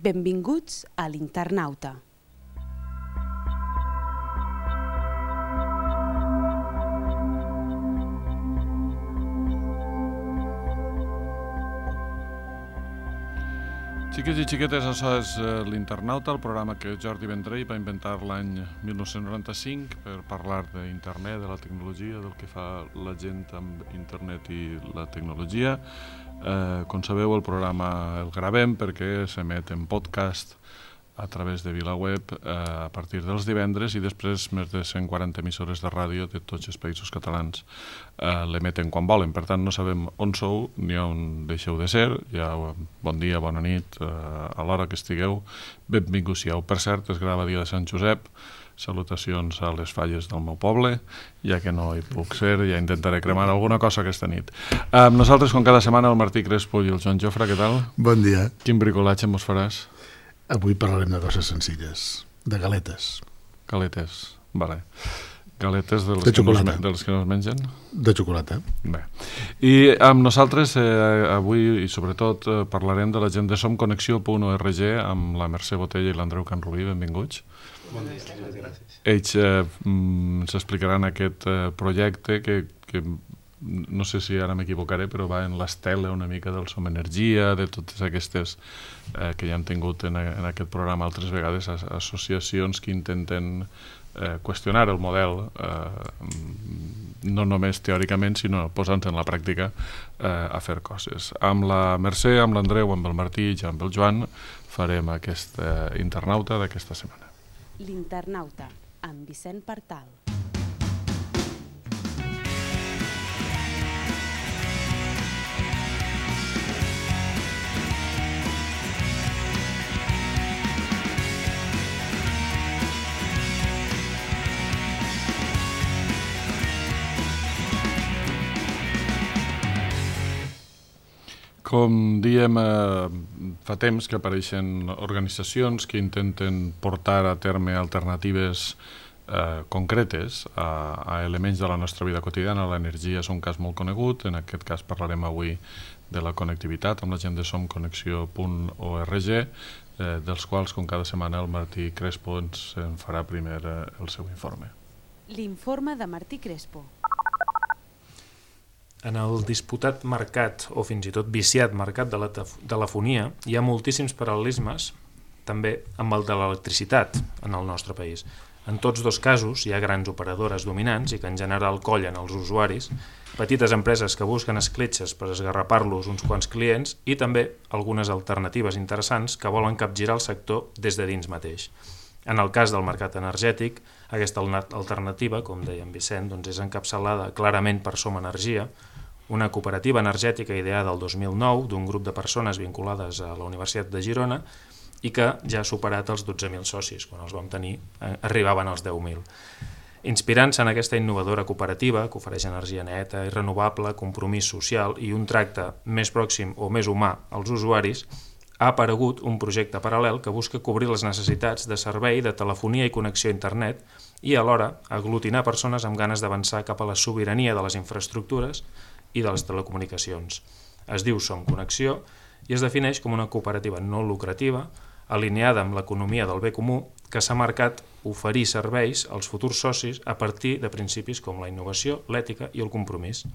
Benvinguts a l'Internauta. Xiquets i xiquetes, això és l'Internauta, el programa que Jordi Vendrell va inventar l'any 1995 per parlar d'internet, de la tecnologia, del que fa la gent amb internet i la tecnologia. Com sabeu, el programa el gravem perquè s'emet en podcast a través de VilaWeb a partir dels divendres i després més de 140 emissores de ràdio de tots els països catalans l'emeten quan volen. Per tant, no sabem on sou ni on deixeu de ser. Ja, bon dia, bona nit, a l'hora que estigueu, benvinguts siau. Per cert, es grava dia de Sant Josep. Salutacions a les falles del meu poble, ja que no hi puc ser, ja intentaré cremar alguna cosa aquesta nit. Nosaltres, com cada setmana, el Martí Crespo i el Joan Jofre, què tal? Bon dia. Quin bricolatge mos faràs? Avui parlarem de coses senzilles, de galetes. Galetes, vale. Galetes de les que no es mengen? De xocolata. Bé. I amb nosaltres avui i sobretot parlarem de la gent de somconnexió.org amb la Mercè Botella i l'Andreu Canrubí. Benvinguts. Bon dia, gràcies. Ells ens explicaran aquest projecte que no sé si ara m'equivocaré, però va en l'estela una mica del Som Energia, de totes aquestes que ja hem tingut en aquest programa altres vegades, associacions que intenten qüestionar el model, no només teòricament, sinó posant-se en la pràctica a fer coses. Amb la Mercè, amb l'Andreu, amb el Martí i amb el Joan farem aquest internauta d'aquesta setmana. L'Internauta, amb Vicent Partal. Com diem, fa temps que apareixen organitzacions que intenten portar a terme alternatives concretes a elements de la nostra vida quotidiana. L'energia és un cas molt conegut, en aquest cas parlarem avui de la connectivitat amb la gent de somconnexió.org, dels quals, com cada setmana, el Martí Crespo ens en farà primer el seu informe. L'informe de Martí Crespo. En el disputat mercat, o fins i tot viciat mercat de la telefonia, hi ha moltíssims paral·lelismes, també amb el de l'electricitat en el nostre país. En tots dos casos hi ha grans operadores dominants i que en general collen els usuaris, petites empreses que busquen escletxes per esgarrapar-los uns quants clients i també algunes alternatives interessants que volen capgirar el sector des de dins mateix. En el cas del mercat energètic, aquesta alternativa, com deia en Vicent, és encapçalada clarament per Som Energia, una cooperativa energètica ideada el 2009 d'un grup de persones vinculades a la Universitat de Girona i que ja ha superat els 12.000 socis. Quan els vam tenir arribaven als 10.000. Inspirant-se en aquesta innovadora cooperativa que ofereix energia neta i renovable, compromís social i un tracte més pròxim o més humà als usuaris, ha aparegut un projecte paral·lel que busca cobrir les necessitats de servei de telefonia i connexió a internet i alhora aglutinar persones amb ganes d'avançar cap a la sobirania de les infraestructures i de les telecomunicacions. Es diu Som Connexió i es defineix com una cooperativa no lucrativa alineada amb l'economia del bé comú que s'ha marcat oferir serveis als futurs socis a partir de principis com la innovació, l'ètica i el compromís.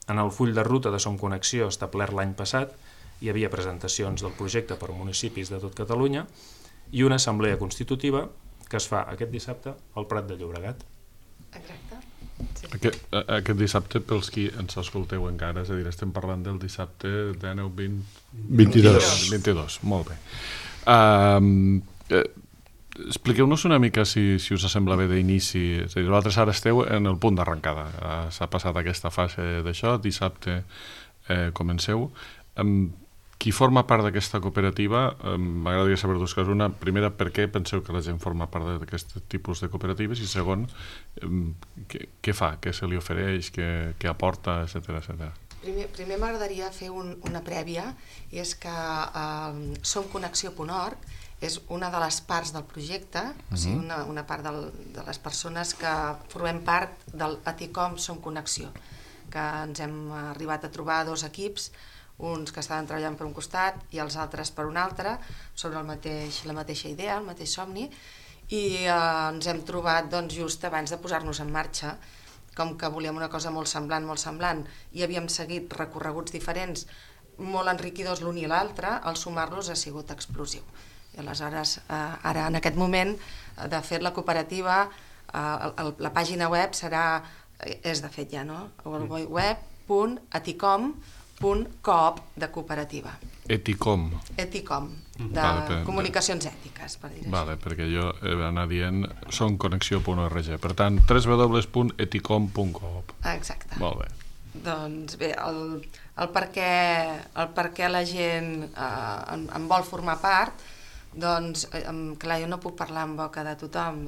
En el full de ruta de Som Connexió establert l'any passat hi havia presentacions del projecte per municipis de tot Catalunya i una assemblea constitutiva que es fa aquest dissabte al Prat de Llobregat. Exacte. Sí. Aquest dissabte, pels qui ens escolteu encara, és a dir, estem parlant del dissabte 22. Molt bé. Expliqueu-nos una mica, si us sembla bé, d'inici. És a dir, vosaltres ara esteu en el punt d'arrencada. S'ha passat aquesta fase d'això, dissabte comenceu. Qui forma part d'aquesta cooperativa, m'agradaria saber dues coses. Una, primera, per què penseu que la gent forma part d'aquest tipus de cooperatives? I segon, què fa, què se li ofereix, què aporta, etcètera. Primer m'agradaria fer una prèvia, i és que somconnexió.org és una de les parts del projecte, o sigui, una part de les persones que formem part del Aticom Som Connexió, que ens hem arribat a trobar dos equips, uns que estaven treballant per un costat i els altres per un altre, sobre la mateixa idea, el mateix somni, i ens hem trobat doncs, just abans de posar-nos en marxa, com que volíem una cosa molt semblant, i havíem seguit recorreguts diferents, molt enriquidors l'un i l'altre, el sumar-los ha sigut explosiu. I aleshores, ara en aquest moment, de fet la cooperativa, la pàgina web és de fet ja, no? www.eticom.coop de cooperativa. Eticom. Eticom, de comunicacions ètiques, per dir-ho Vale, perquè jo anar dient sonconnexió.org. Per tant, www.eticom.coop. Exacte. Molt bé. Doncs bé, el per què la gent en vol formar part, doncs, clar, jo no puc parlar en boca de tothom.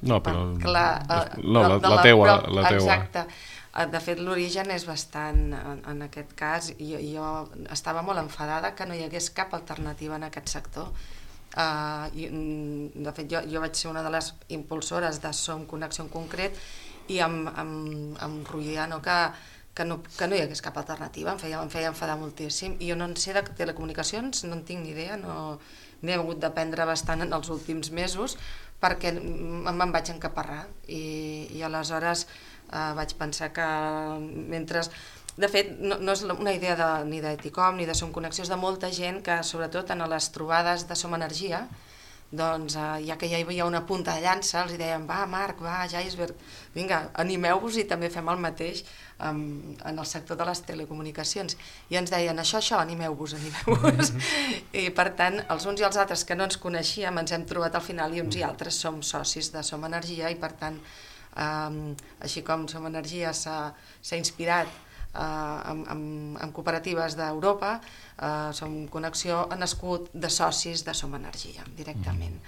No, però... la teua. Exacte. De fet, l'origen és bastant, en aquest cas, jo estava molt enfadada que no hi hagués cap alternativa en aquest sector. De fet, jo vaig ser una de les impulsores de Som Connexió en concret i em roïa que no hi hagués cap alternativa, em feia enfadar moltíssim. I jo no en sé de telecomunicacions, no en tinc ni idea, n'he hagut d'aprendre bastant en els últims mesos perquè me'n vaig encaparrar i aleshores vaig pensar que mentre... De fet, no és una idea ni d'Eticom ni de Som Connexió, és de molta gent que, sobretot en les trobades de Som Energia, doncs ja que ja hi havia una punta de llança, els deien, va Marc, va Geisberg, vinga, animeu-vos i també fem el mateix en el sector de les telecomunicacions. I ens deien, això, animeu-vos. I per tant, els uns i els altres que no ens coneixíem ens hem trobat al final i uns i altres som socis de Som Energia i per tant, així com Som Energia s'ha inspirat en cooperatives d'Europa, Som Connexió ha nascut de socis de Som Energia directament.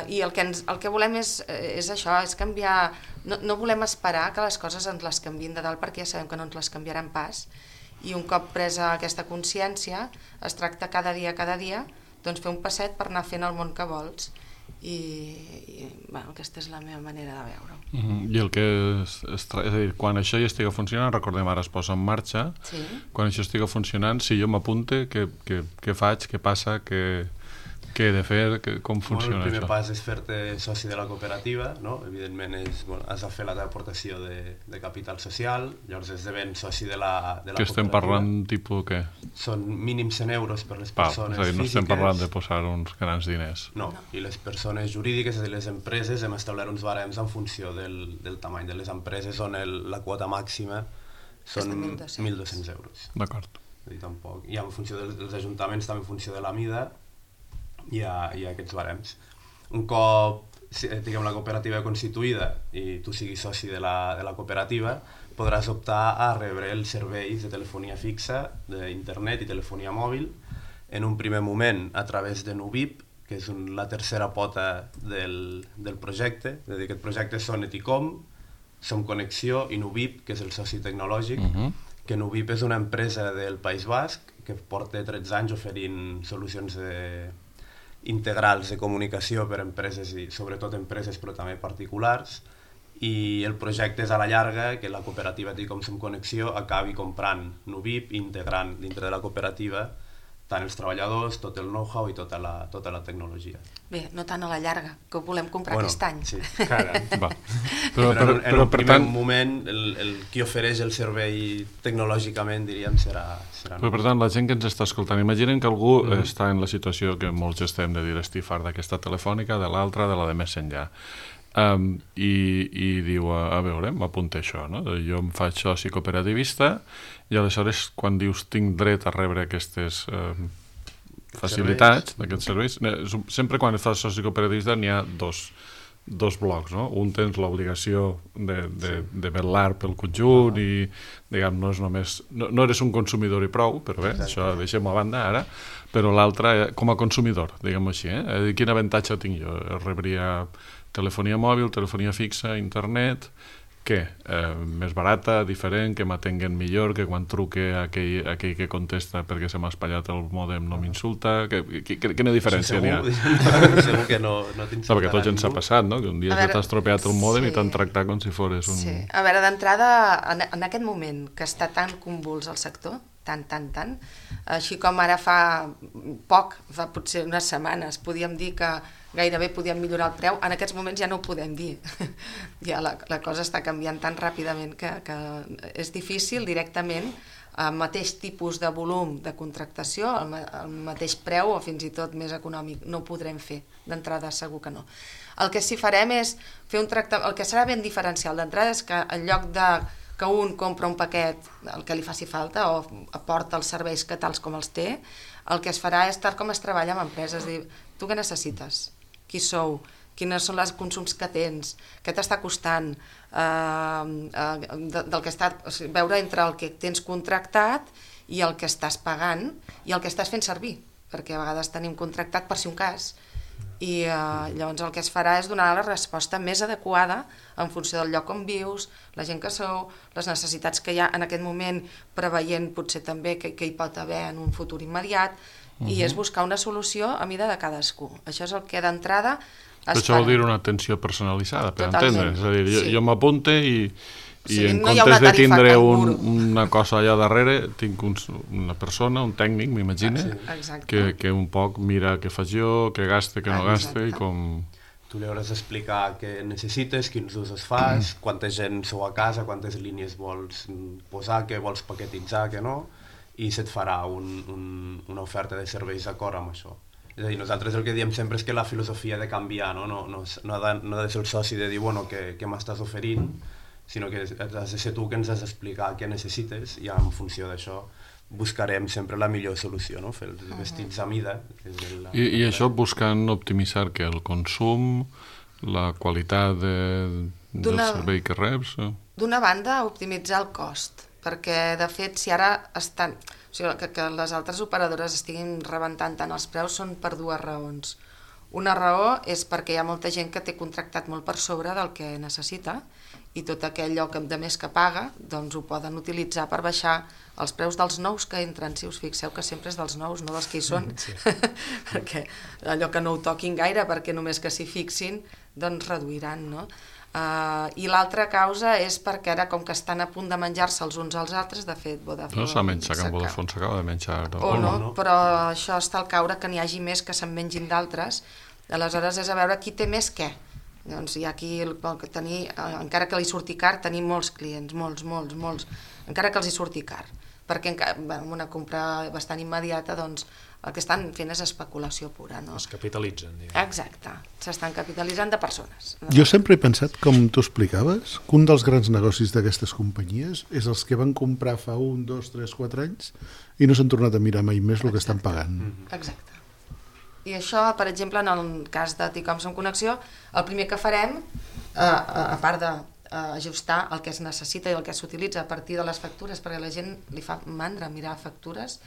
I el que volem és això, és canviar, no volem esperar que les coses ens les canviïn de dalt perquè ja sabem que no ens les canviaran pas, i un cop presa aquesta consciència es tracta cada dia doncs fer un passet per anar fent el món que vols i aquesta és la meva manera de veure-ho. I el que és a dir, quan això ja estigui funcionant, recordem ara es posa en marxa, quan això estigui funcionant, si jo m'apunte, què faig, què passa, què he de fer, com funciona això? El primer pas és fer-te soci de la cooperativa, no? Evidentment has de fer la teva aportació de capital social, llavors esdeven soci de la cooperativa. Que estem parlant tipus què? Són mínim 100 euros per les persones físiques. No estem parlant de posar uns grans diners. No, i les persones jurídiques, és a dir, les empreses, hem establert uns barems en funció del tamany de les empreses on la quota màxima són 1.200 euros. D'acord. I en funció dels ajuntaments, també en funció de la mida, hi ha aquests barems. Un cop la cooperativa constituïda i tu siguis soci de la cooperativa, podràs optar a rebre els serveis de telefonia fixa, d'internet i telefonia mòbil, en un primer moment a través de Nubip, que és la tercera pota del projecte. És a dir, aquest projecte són Eticom, Som Connexió i Nubip, que és el soci tecnològic, que Nubip és una empresa del País Basc que porta 13 anys oferint solucions integrals de comunicació per a empreses i sobretot empreses però també particulars, i el projecte és a la llarga que la cooperativa Eticom Som Connexió acabi comprant Nubip i integrant dintre de la cooperativa tant els treballadors, tot el know-how i tota la tecnologia. Bé, no tant a la llarga, que ho volem comprar aquest any. Sí. Però en un primer moment, qui ofereix el servei tecnològicament, diríem, serà... Però per tant, la gent que ens està escoltant, imaginen que algú està en la situació que molts estem de dir, estic fart d'aquesta telefònica, de l'altra, de la de més enllà. I diu, a veure, m'apunta això, no? Jo em faig soci cooperativista i aleshores quan dius tinc dret a rebre aquestes facilitats, aquests serveis, sempre quan fas soci cooperativista n'hi ha dos blocs, no? Un tens l'obligació de vetllar pel conjunt i, diguem, no és només... No eres un consumidor i prou, però bé, això deixem-ho a banda ara, però l'altre com a consumidor, diguem-ho així, quin avantatge tinc jo? Rebria telefonia mòbil, telefonia fixa, internet, què? Més barata, diferent, que m'atenguen millor, que quan truque aquell que contesta perquè se m'ha espatllat el mòdem no m'insulta, quina diferència n'hi ha? Segur que no t'insultarà perquè tot ens ha passat, no? Que un dia t'has estropeat el mòdem i t'han tractat com si fores un... Sí, a veure, d'entrada, en aquest moment que està tan convuls el sector, tant. Així com ara fa potser unes setmanes, podíem dir que gairebé podíem millorar el preu, en aquests moments ja no ho podem dir. Ja la cosa està canviant tan ràpidament que és difícil directament, el mateix tipus de volum de contractació, el mateix preu o fins i tot més econòmic, no ho podrem fer d'entrada, segur que no. El que sí farem és fer un tractament, el que serà ben diferencial d'entrada és que en lloc de que un compra un paquet, el que li faci falta, o aporta els serveis que tals com els té, el que es farà és tal com es treballa amb empreses, dir, tu què necessites? Qui sou? Quines són els consums que tens? Què t'està costant? Veure entre el que tens contractat i el que estàs pagant i el que estàs fent servir, perquè a vegades tenim contractat per si un cas, i llavors el que es farà és donar la resposta més adequada en funció del lloc on vius, la gent que sou, les necessitats que hi ha en aquest moment, preveient potser també que hi pot haver en un futur immediat, i és buscar una solució a mida de cadascú. Això és el que d'entrada es farà. Això vol dir una atenció personalitzada, per entendre. És a dir, jo m'apunte i en no comptes de tindre una cosa allà darrere, tinc una persona, un tècnic, m'imagino, que un poc mira què faig jo, què gaste, què no gaste i com... Tu li hauràs d'explicar què necessites, quins usos fas, quanta gent sou a casa, quantes línies vols posar, què vols paquetitzar, què no, i se't farà una oferta de serveis d'acord amb això. És a dir, nosaltres el que diem sempre és que la filosofia ha de canviar, no ha de ser el soci de dir, bueno, què m'estàs oferint, sinó que has de ser tu que ens has d'explicar què necessites i en funció d'això buscarem sempre la millor solució, no? Fer els vestits a mida. I això buscant optimitzar que el consum, la qualitat del servei que reps... D'una banda, optimitzar el cost, perquè de fet si ara estan... O sigui, que les altres operadores estiguin rebentant tant els preus són per dues raons. Una raó és perquè hi ha molta gent que té contractat molt per sobre del que necessita i tot aquell lloc de més que paga doncs ho poden utilitzar per baixar els preus dels nous que entren. Si us fixeu que sempre és dels nous, no dels que hi són, perquè allò que no ho toquin gaire perquè només que s'hi fixin doncs reduiran, no? I l'altra causa és perquè ara com que estan a punt de menjar-se els uns als altres, de fet Vodafone... No s'ha menjat, que Vodafone s'acaba de menjar... O no, però això està al caure que n'hi hagi més que se'n mengin d'altres, aleshores és a veure qui té més què. Doncs hi ha aquí, encara que li surti car, tenim molts clients, molts, encara que els hi surti car, perquè amb una compra bastant immediata doncs el que estan fent és especulació pura, no? Es capitalitzen, diguem. Exacte, s'estan capitalitzant de persones. Jo sempre he pensat, com tu explicaves, que un dels grans negocis d'aquestes companyies és els que van comprar fa 1, 2, 3, 4 anys i no s'han tornat a mirar mai més el que estan pagant. Exacte. I això, per exemple, en el cas de Ticom Som Connexió, el primer que farem, a part d'ajustar el que es necessita i el que s'utilitza a partir de les factures, perquè a la gent li fa mandra mirar factures,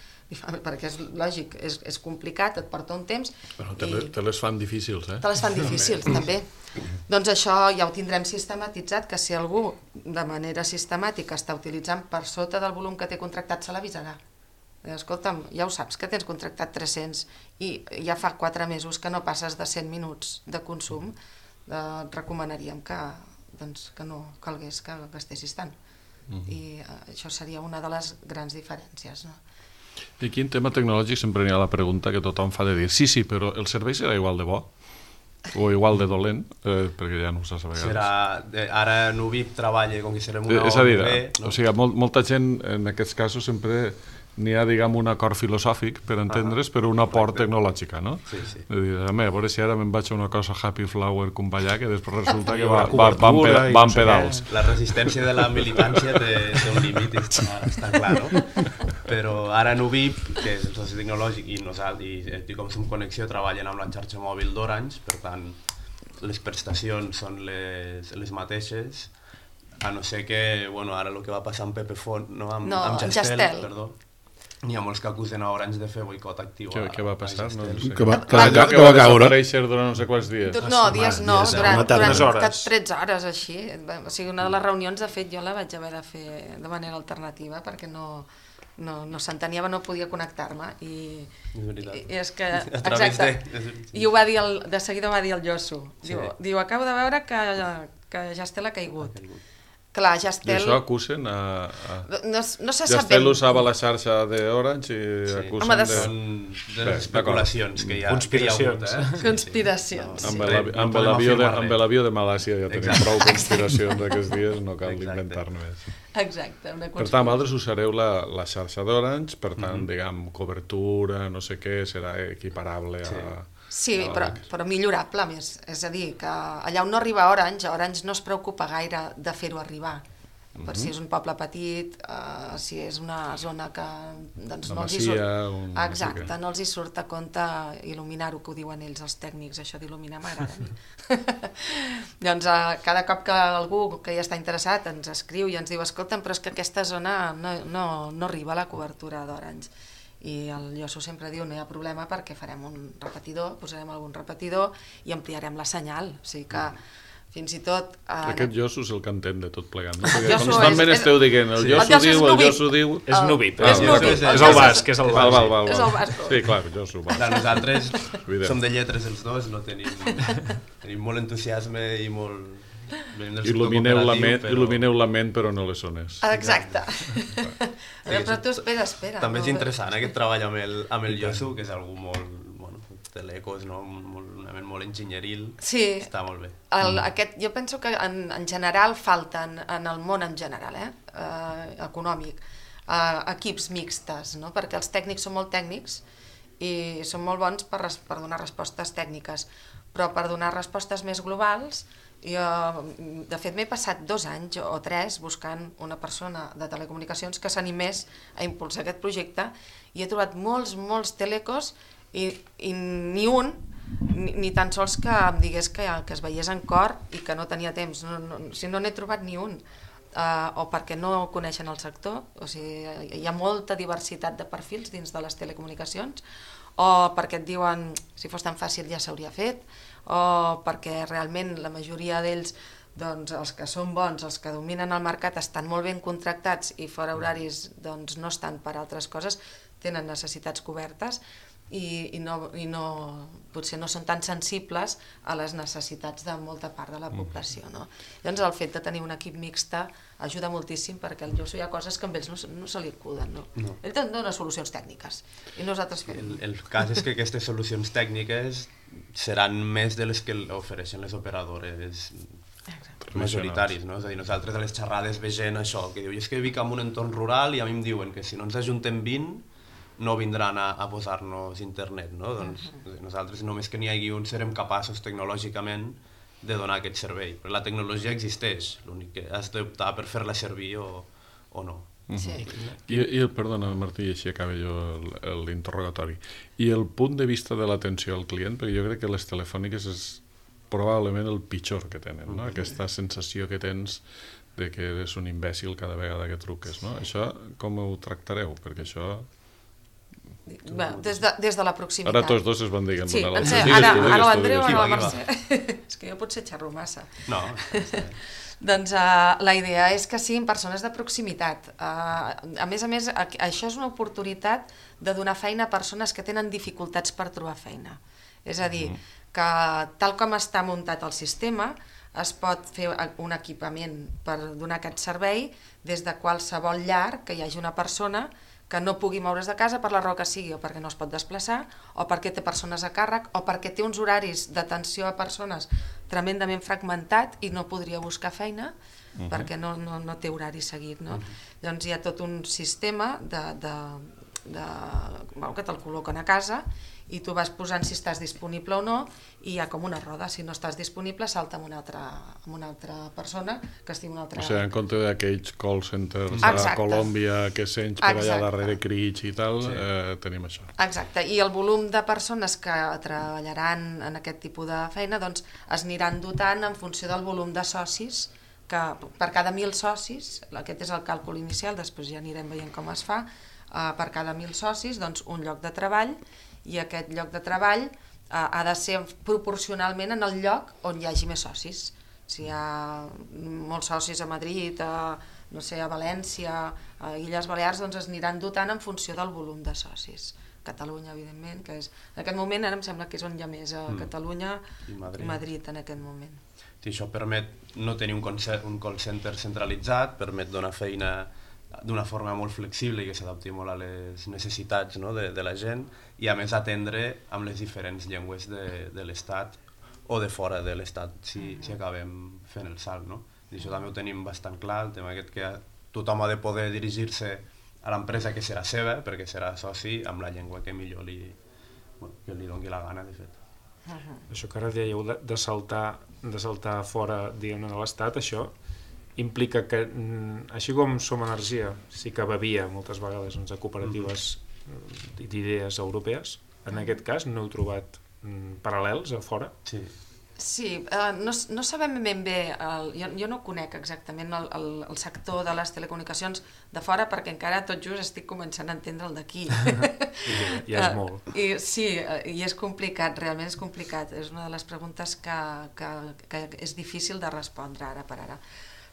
perquè és lògic, és complicat, et porta un temps... Però te les fan difícils, eh? Te les fan difícils, també. Doncs això ja ho tindrem sistematitzat, que si algú de manera sistemàtica està utilitzant per sota del volum que té contractat, se l'avisarà. Escolta'm, ja ho saps que tens contractat 300 i ja fa 4 mesos que no passes de 100 minuts de consum, et recomanaríem que no calgués que gastessis tant. I això seria una de les grans diferències, no? I aquí en tema tecnològic sempre hi ha la pregunta que tothom fa de dir sí, però el servei serà igual de bo o igual de dolent, perquè ja no ho saps a vegades. Ara Nubip treballa com que serem una és a dir, o sigui, molta gent en aquests casos sempre n'hi ha, diguem, un acord filosòfic per entendre's, però una port tecnològica, no? Sí. És dir, a veure si ara me'n vaig a una cosa Happy Flower com ballar, que després resulta que van pedals. La resistència de la militància té un límit, està clar, no? Però ara Nubip, que és el soci tecnològic, i nosaltres, i com Som Connexió, treballen amb la xarxa mòbil d'Orange, per tant, les prestacions són les mateixes, a no ser que, bueno, ara el que va passar amb Pepefont, no, amb Jastel, perdó, n'hi ha molts que acusen a Orange de fer boicot actiu. Què va passar? No sé. Que va caure. Durant no sé quants dies. No, dies no, durant 13 hores així. O sigui, una de les reunions, de fet, jo la vaig haver de fer de manera alternativa perquè no s'entenia, no podia connectar-me. I és que, exacte, i ho va dir, de seguida va dir el Josu. Diu, acabo de veure que Jastel ha caigut. Clar, I Jastel... això acusen a... No se sap Jastel ben... usava la xarxa d'Orange i acusen Home, de... Són de les especulacions que hi ha Conspiracions. hagut, Conspiracions. Amb No podem afirmar res. l'avió de Malàcia ja tenim Exacte. prou conspiracions aquests dies, no cal Exacte. inventar-ne més. Exacte, una Per tant, vosaltres usareu la xarxa d'Orange, per tant, diguem, cobertura, no sé què, serà equiparable a... Sí, però millorable més. És a dir, que allà on no arriba Orange no es preocupa gaire de fer-ho arribar. Per si és un poble petit, si és una zona que doncs, no els hi surt... Exacte, no els hi surt a compte il·luminar-ho, que ho diuen ells, els tècnics, això d'il·luminar m'agrada a mi. Doncs cada cop que algú que ja està interessat ens escriu i ens diu escolta'm, però és que aquesta zona no arriba a la cobertura d'Orange. I el Josu sempre diu no hi ha problema perquè farem un repetidor, posarem algun repetidor i ampliarem la senyal, o sigui que fins i tot... Aquest Josu és el que entén de tot plegat, no? Perquè Josu constantment esteu dient el Josu diu... És Nubip, És Nubip. és el basc, és el basc. Val. És el basc. Sí, clar, Josu. Nosaltres som de lletres els dos, no tenim molt entusiasme i molt... Il·lumineu la ment però no les zones. Exacte. Però tu espera. També és interessant aquest treball amb el Josu, que és algú molt... telecos, no? Una ment molt enginyeril. Sí. Està molt bé. Jo penso que en general falten, en el món en general, econòmic, equips mixtes, no? Perquè els tècnics són molt tècnics i són molt bons per donar respostes tècniques, però per donar respostes més globals, de fet m'he passat 2 anys o 3 buscant una persona de telecomunicacions que s'animés a impulsar aquest projecte i he trobat molts telecos i ni un, ni tan sols que em digués que es veiés en cor i que no tenia temps, no n'he trobat ni un, o perquè no coneixen el sector, o sigui, hi ha molta diversitat de perfils dins de les telecomunicacions, o perquè et diuen si fos tan fàcil ja s'hauria fet, o perquè realment la majoria d'ells, doncs els que són bons, els que dominen el mercat estan molt ben contractats i fora horaris doncs no estan per altres coses, tenen necessitats cobertes i potser no són tan sensibles a les necessitats de molta part de la població, no? Llavors el fet de tenir un equip mixta ajuda moltíssim perquè el Josu hi ha coses que amb ells no se li acuden, no? Ell dona solucions tècniques i nosaltres fem... El cas és que aquestes solucions tècniques seran més de les que ofereixen les operadores majoritaris, no? És a dir, nosaltres a les xerrades veiem això, que diu, és que vic en un entorn rural i a mi em diuen que si no ens ajuntem 20 no vindran a posar-nos internet, no? Doncs nosaltres només que n'hi hagi un serem capaços tecnològicament de donar aquest servei. Però la tecnologia existeix, l'únic que has d'optar per fer-la servir o no. Sí. Perdona, Martí, així acaba jo l'interrogatori. I el punt de vista de l'atenció al client, perquè jo crec que les telefòniques és probablement el pitjor que tenen, no? Aquesta sensació que tens de que eres un imbècil cada vegada que truques, no? Això com ho tractareu? Perquè això... Des de la proximitat. Ara tots dos es van dient sí, l'altre. Ara l'Andreu, ara la Mercè. És que jo potser xerro massa. No. Doncs la idea és que siguin persones de proximitat. A més, això és una oportunitat de donar feina a persones que tenen dificultats per trobar feina. És a dir, que tal com està muntat el sistema, es pot fer un equipament per donar aquest servei des de qualsevol llar que hi hagi una persona que no pugui moure's de casa per la raó que sigui, o perquè no es pot desplaçar, o perquè té persones a càrrec, o perquè té uns horaris d'atenció a persones tremendament fragmentat i no podria buscar feina perquè no té horari seguit, no? Llavors hi ha tot un sistema que te'l col·loquen a casa i tu vas posant si estàs disponible o no i hi ha com una roda, si no estàs disponible salta amb una altra persona que estigui una altra... O sigui, en compte d'aquells call centers a Colòmbia que sents per allà darrere crits i tal, tenim això. Exacte, i el volum de persones que treballaran en aquest tipus de feina doncs es aniran dotant en funció del volum de socis, que per cada 1.000 socis, aquest és el càlcul inicial, després ja anirem veient com es fa, per cada 1.000 socis doncs un lloc de treball, i aquest lloc de treball ha de ser proporcionalment en el lloc on hi hagi més socis. Si hi ha molts socis a Madrid, a València, a Illes Balears, doncs es aniran dotant en funció del volum de socis Catalunya, evidentment, que és... En aquest moment ara em sembla que és on hi ha més, a Catalunya i Madrid en aquest moment. Sí, això permet no tenir un call center centralitzat, permet donar feina d'una forma molt flexible i que s'adapti molt a les necessitats, no, de la gent, i a més atendre amb les diferents llengües de l'Estat o de fora de l'Estat, si acabem fent el salt, no? I això també ho tenim bastant clar, el tema aquest que tothom ha de poder dirigir-se a l'empresa que serà seva, perquè serà soci amb la llengua que millor li doni la gana, de fet. Això que ara dèieu de saltar fora, diguem-ne, de l'Estat, això implica que, així com Som Energia sí que bevia moltes vegades a cooperatives d'idees europees, en aquest cas no heu trobat paral·lels a fora? Sí, no sabem ben bé, jo no conec exactament el sector de les telecomunicacions de fora perquè encara tot just estic començant a entendre el d'aquí. Ja és molt. Sí, i és complicat, realment és complicat. És una de les preguntes que és difícil de respondre ara per ara.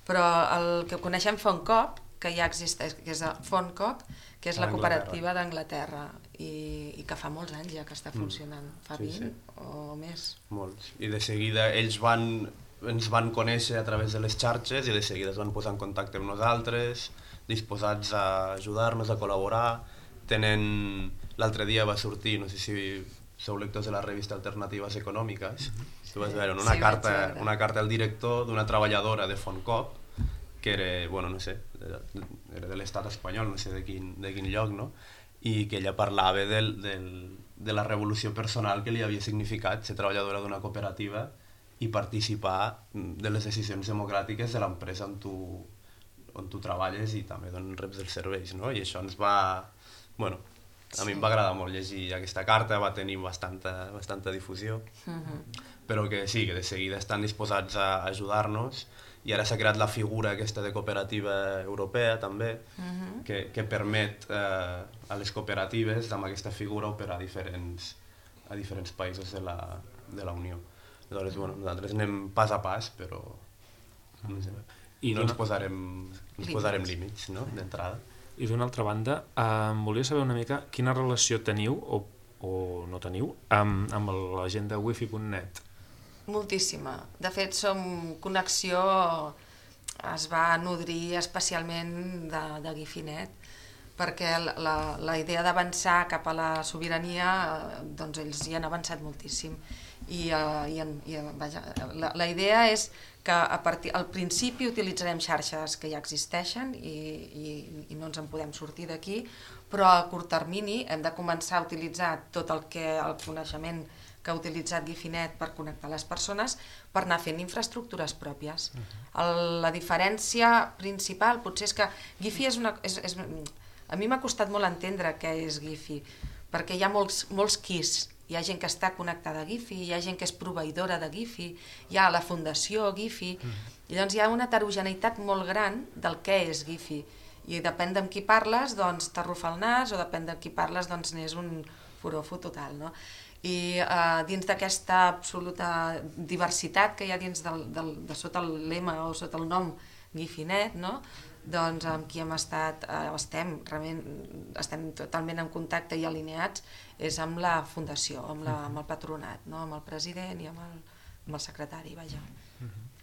Però el que coneixem fa un cop, que ja existeix, que és FONCOP, que és la cooperativa d'Anglaterra i que fa molts anys ja que està funcionant, fa 20 o més. Molts. I de seguida ells ens van conèixer a través de les xarxes i de seguida es van posar en contacte amb nosaltres, disposats a ajudar-nos, a col·laborar. L'altre dia va sortir, no sé si sou lectors de la revista Alternatives Econòmiques, tu vas veure una carta al director d'una treballadora de FONCOP que era, bueno, no sé, era de l'estat espanyol, no sé de quin lloc, no? I que ella parlava de la revolució personal que li havia significat ser treballadora d'una cooperativa i participar de les decisions democràtiques de l'empresa on tu treballes i també d'on reps els serveis, no? I això ens va... Bueno, a mi em va agradar molt llegir aquesta carta, va tenir bastanta difusió, però que sí, que de seguida estan disposats a ajudar-nos. I ara s'ha creat la figura aquesta de cooperativa europea també, que permet a les cooperatives amb aquesta figura operar a diferents països de la Unió. Llavors, bueno, nosaltres anem pas a pas, però no ens posarem límits, no?, d'entrada. I d'una altra banda, volia saber una mica quina relació teniu o no teniu amb l'agenda wifi.net. Moltíssima. De fet, Connexió es va nodrir especialment de Guifi.net perquè la idea d'avançar cap a la sobirania, doncs ells hi han avançat moltíssim. La idea és que al principi utilitzarem xarxes que ja existeixen i no ens en podem sortir d'aquí, però a curt termini hem de començar a utilitzar tot el coneixement que ha utilitzat Guifi.net per connectar les persones per anar fent infraestructures pròpies. La diferència principal potser és que Guifi a mi m'ha costat molt entendre què és Guifi, perquè hi ha molts quis. Hi ha gent que està connectada a Guifi, hi ha gent que és proveïdora de Guifi, hi ha la fundació Guifi, i llavors hi ha una heterogeneïtat molt gran del què és Guifi. I depèn d'amb qui parles, doncs t'arrufa el nas, o depèn de qui parles, doncs n'és un furofo total, no? I dins d'aquesta absoluta diversitat que hi ha dins de sota el lema o sota el nom Guifi.net, no? Doncs amb qui estem totalment en contacte i alineats és amb la fundació, amb el patronat, no? Amb el president i amb el secretari, vaja,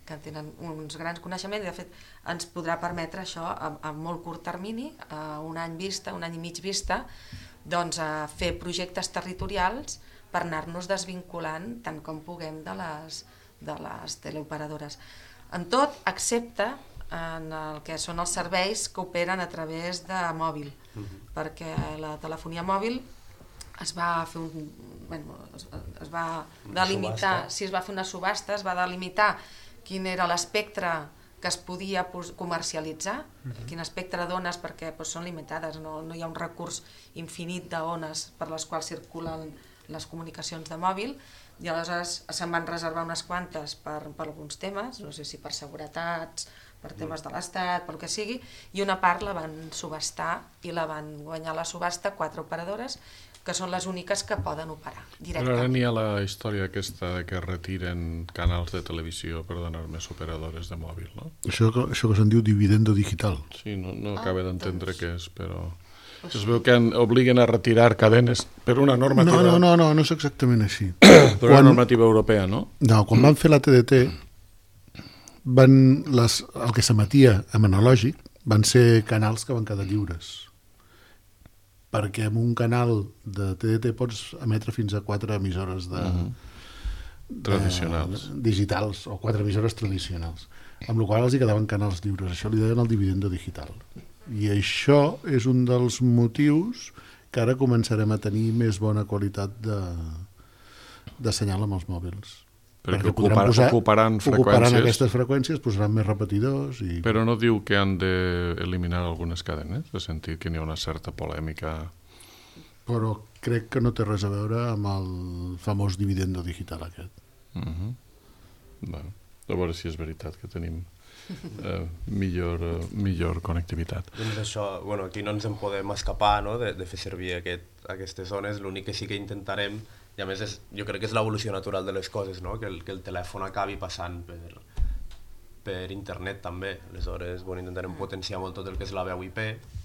que tenen uns grans coneixements i de fet ens podrà permetre això a molt curt termini, a un any vista, un any i mig vista, doncs a fer projectes territorials per anar-nos desvinculant tant com puguem de les teleoperadores. En tot, excepte en el que són els serveis que operen a través de mòbil, perquè la telefonia mòbil es va fer es va delimitar, es va fer una subhasta, es va delimitar quin era l'espectre que es podia comercialitzar, quin espectre d'ones, perquè són limitades, no hi ha un recurs infinit d'ones per les quals circulen les comunicacions de mòbil, i aleshores se'n van reservar unes quantes per alguns temes, no sé si per seguretats, per temes de l'Estat, pel que sigui, i una part la van subhastar i la van guanyar la subhasta 4 operadores, que són les úniques que poden operar directament. Però ara n'hi ha la història aquesta que retiren canals de televisió per donar més operadores de mòbil, no? Això que se'n diu dividendo digital. Sí, no acaba d'entendre què és, però... Es veu que obliguen a retirar cadenes per una normativa... No és exactament així. Per una normativa europea, no? No, quan van fer la TDT, el que s'emetia en analògic van ser canals que van quedar lliures. Perquè en un canal de TDT pots emetre fins a 4 emissores tradicionals. Digitals, o 4 emissores tradicionals. Amb la qual cosa els hi quedaven canals lliures. Això li deien el dividendo digital. I això és un dels motius que ara començarem a tenir més bona qualitat de senyal amb els mòbils. Perquè ocuparan freqüències. Ocuparan aquestes freqüències, posaran més repetidors. Però no diu que han d'eliminar algunes cadenes? He sentit que n'hi ha una certa polèmica. Però crec que no té res a veure amb el famós dividendo digital aquest. Bueno, a veure si és veritat que tenim millor connectivitat. Doncs això, aquí no ens en podem escapar, no?, de fer servir aquestes zones. L'únic que sí que intentarem, i a més jo crec que és l'evolució natural de les coses, no?, que el telèfon acabi passant per internet també. Aleshores intentarem potenciar molt tot el que és la veu IP,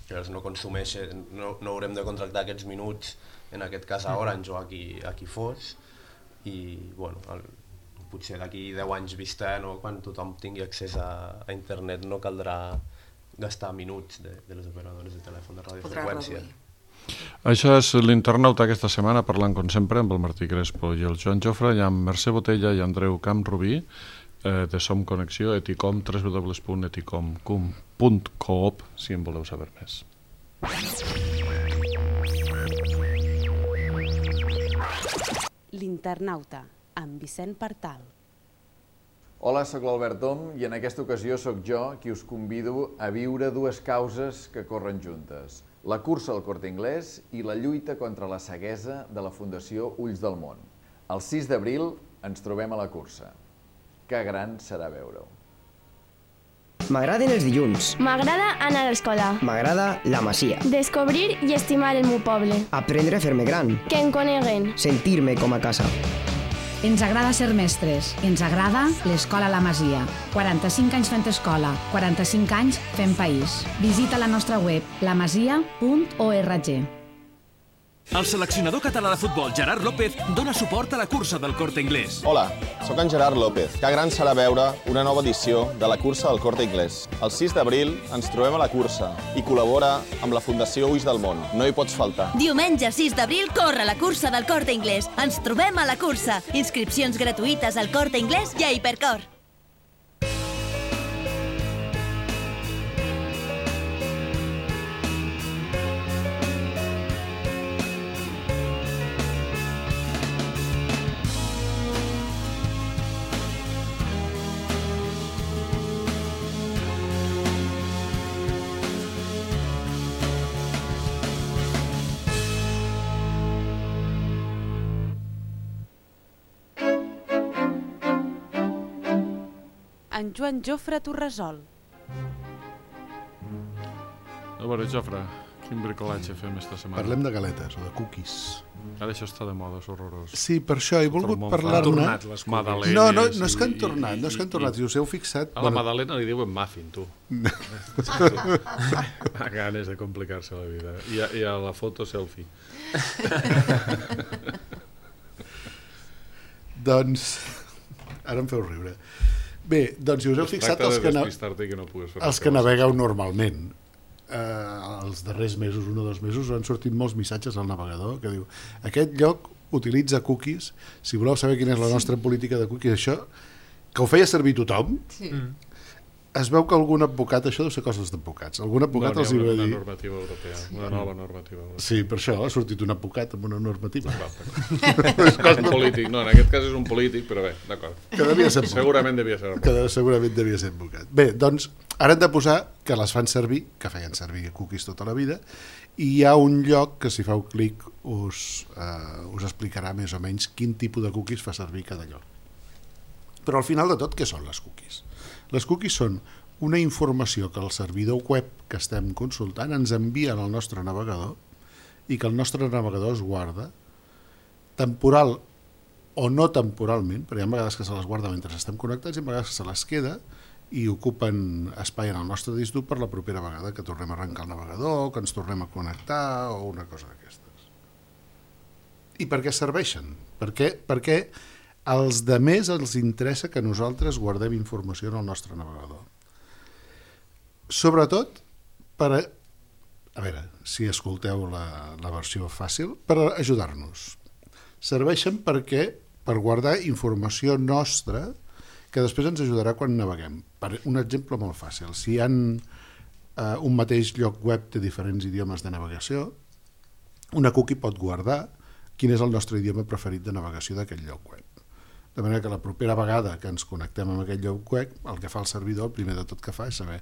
que no consumeixen, no haurem de contractar aquests minuts, en aquest cas a Orange o a qui fos, i potser d'aquí 10 anys vista, quan tothom tingui accés a internet, no caldrà gastar minuts de les operadores de telèfon de radiofreqüència. Això és l'Internauta aquesta setmana, parlant com sempre amb el Martí Crespo i el Joan Jofre, i amb Mercè Botella i Andreu Camprubí, de Som Connexió, Eticom, www.eticom.coop, si en voleu saber més. L'Internauta, amb Vicent Partal. Hola, sóc l'Albert Tom i en aquesta ocasió sóc jo qui us convido a viure dues causes que corren juntes. La cursa al Corte Inglés i la lluita contra la ceguesa de la Fundació Ulls del Món. El 6 d'abril ens trobem a la cursa. Que gran serà veure-ho. M'agraden els dilluns. M'agrada anar a l'escola. M'agrada la Masia. Descobrir i estimar el meu poble. Aprendre a fer-me gran. Que em coneguen. Sentir-me com a casa. Ens agrada ser mestres. Ens agrada l'Escola La Masia. 45 anys fent escola, 45 anys fent país. Visita la nostra web lamasia.org. El seleccionador català de futbol Gerard López dona suport a la cursa del Corte Inglés. Hola, sóc en Gerard López. Que gran serà veure una nova edició de la cursa del Corte Inglés. El 6 d'abril ens trobem a la cursa i col·labora amb la Fundació Ulls del Món. No hi pots faltar. Diumenge 6 d'abril corre la cursa del Corte Inglés. Ens trobem a la cursa. Inscripcions gratuïtes al Corte Inglés i a Hipercor. En Joan Jofre Torresol. A veure, Jofre, quin bricolatge fem esta setmana? Parlem de galetes o de cookies. Ara això està de moda, és horrorós. Sí, per això he volgut parlar-ne... No és que han tornat, no és que han tornat, si us heu fixat... A la Madalena li diuen muffin, tu. A ganes de complicar-se la vida. I a la foto selfie. Doncs... Ara em feu riure. Bé, doncs si us heu fixat els que navegueu normalment, els darrers mesos, 1 o 2 mesos, han sortit molts missatges al navegador que diu aquest lloc utilitza cookies, si voleu saber quina és la nostra política de cookies, això, que ho feia servir tothom, es veu que algun advocat, això deu ser coses d'advocats, algun advocat els hi va dir... Una normativa europea, una nova normativa europea. Sí, per això ha sortit un advocat amb una normativa. Un polític, no, en aquest cas és un polític, però bé, d'acord. Que devia ser segurament devia ser segurament devia ser advocat. Bé, doncs, ara hem de posar que les fan servir, que feien servir cookies tota la vida, i hi ha un lloc que si feu clic us explicarà més o menys quin tipus de cookies fa servir cada lloc. Però al final de tot, què són les cookies? Les cookies són una informació que el servidor web que estem consultant ens envia al nostre navegador i que el nostre navegador es guarda temporal o no temporalment, perquè hi ha vegades que se les guarda mentre estem connectats i hi ha vegades que se les queda i ocupen espai en el nostre disc dur per la propera vegada que tornem a arrencar el navegador, que ens tornem a connectar o una cosa d'aquestes. I per què serveixen? Perquè als demés els interessa que nosaltres guardem informació en el nostre navegador. Sobretot per a veure, si escolteu la versió fàcil, per ajudar-nos. Serveixen per guardar informació nostra que després ens ajudarà quan naveguem. Per un exemple molt fàcil, si hi ha un mateix lloc web de diferents idiomes de navegació, una cookie pot guardar quin és el nostre idioma preferit de navegació d'aquest lloc web. De manera que la propera vegada que ens connectem amb aquest lloc web, el que fa el servidor, el primer de tot que fa és saber